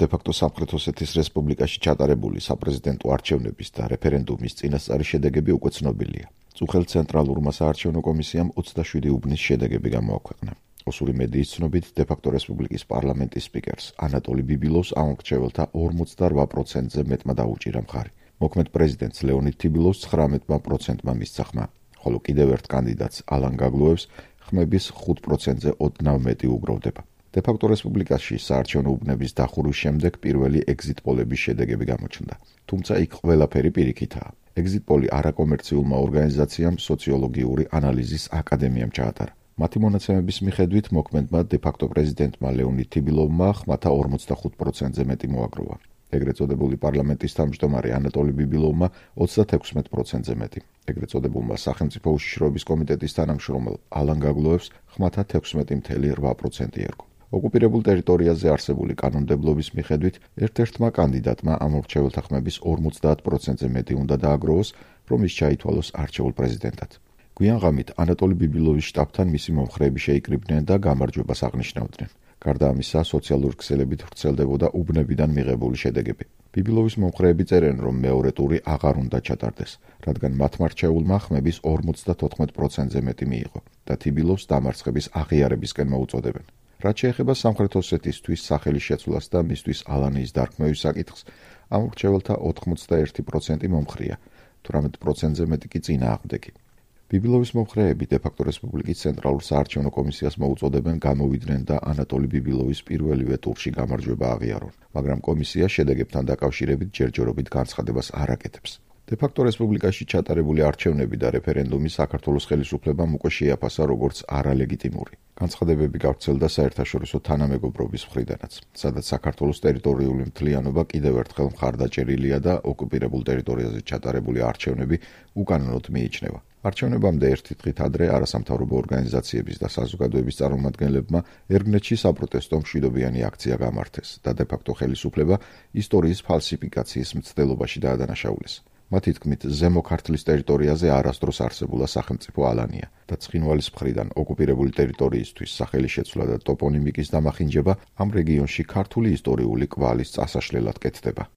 დე-ფაქტო სამხრეთ ოსეთის რესპუბლიკაში ჩატარებული საპრეზიდენტო არჩევნების და რეფერენდუმის წინასწარი შედეგები უკვე ცნობილია. წუხელ ცენტრალურმა საარჩევნო კომისიამ 27 უბნის შედეგები გამოაქვეყნა. ოსური მედიის ცნობით, დე-ფაქტო რესპუბლიკის პარლამენტის სპიკერს ანატოლი ბიბილოვს ამ მრჩეველთა 48%-ზე მეტმა დაუჭირა მხარი. მოქმედ პრეზიდენტს ლეონიდ თიბილოვს 19%-მა მისცა ხმა, ხოლო კიდევ ერთ კანდიდატს ალან გაგლუევს ხმების 5%-ზე ოდნავ მეტი უგროვდება. დე-ფაქტო რესპუბლიკაში საარჩევნო უბნების დახურვის შემდეგ პირველი ეგზიტ პოლების შედეგები გამოჩნდა. თუმცა იქ ყველაფერი პირიქითაა. ეგზიტ პოლი არაკომერციულმა ორგანიზაციამ სოციოლოგიური ანალიზის აკადემიამ ჩაატარა. მათი მონაცემების მიხედვით მოქმედმა დე-ფაქტო პრეზიდენტმა ლეონიდ თიბილოვმა ხმათა 45%-ზე მეტი მოაგროვა. ეგრეთ წოდებული პარლამენტის თავმჯდომარე ანატოლი ბიბილოვმა 36%-ზე მეტი. ეგრეთ წოდებულმა სახელმწიფო უშიშროების კომიტეტის თანამშრომელ ალან გაგლუევს ხმათა 16.8% ერგო. ოკუპირებულ ტერიტორიაზე არსებული კანონმდებლობის მიხედვით ერთ-ერთმა კანდიდატმა ამ მრჩეველთა ხმების 50%-ზე მეტი უნდა დააგროვოს, რომ ის ჩაითვალოს არჩეულ პრეზიდენტად. გვიან ღამით ანატოლი ბიბილოვის შტაბთან მისი მომხრეები შეიკრიბნენ და გამარჯვებას აღნიშნავდნენ. გარდა ამისა, სოციალური ქსელებით ვრცელდებოდა უბნებიდან მიღებული შედეგები. ბიბილოვის მომხრეები წერენ, რომ მეორე ტური აღარ უნდა ჩატარდეს, რადგან მათმა რჩეულმა ხმების 54%-ზე მეტი მიიღო და თიბილოვს დამარცხების აღიარებისკენ მოუწოდებენ. რაც შეეხება სამხრეთ ოსეთისთვის სახელის შეცვლას და მისთვის ალანიის დარქმევის საკითხს, ამ მრჩეველთა 81% მომხრეა, 18%-ზე მეტი კი წინააღმდეგი. ბიბილოვის მომხრეები დე-ფაქტო რესპუბლიკის ცენტრალურ საარჩევნო კომისიას მოუწოდებენ გამოვიდნენ და ანატოლი ბიბილოვის პირველივე ტურში გამარჯვება აღიარონ, მაგრამ კომისია შედეგებთან დაკავშირებით ჯერჯერობით განცხადებას არ აკეთებს. დე-ფაქტო რესპუბლიკაში ჩატარებული არჩევნები და რეფერენდუმი საქართველოს ხელისუფლებამ უკვე შეაფასა როგორც არალეგიტიმური. განცხადებები გავრცელდა საერთაშორისო თანამეგობრობის მხრიდანაც, სადაც საქართველოს ტერიტორიული მთლიანობა კიდევ ერთხელ მხარდაჭერილია და ოკუპირებულ ტერიტორიაზე ჩატარებული არჩევნები უკანონოდ მიიჩნევა. არჩევნებამდე ერთი დღით ადრე არასამთავრობო ორგანიზაციების და საზოგადოების წარმომადგენლებმა ერგნეთში საპროტესტო მშვიდობიანი აქცია გამართეს და დე-ფაქტო ხელისუფლება ისტორიის ფალსიფიკაციის მცდელობაში დაადანაშაულეს. მათი თქმით, ზემო ქართლის ტერიტორიაზე არასდროს არსებულა სახელმწიფო ალანია და ცხინვალის მხრიდან ოკუპირებული ტერიტორიისთვის სახელის შეცვლა და ტოპონიმიკის დამახინჯება ამ რეგიონში ქართული ისტორიული კვალის წასაშლელად კეთდება.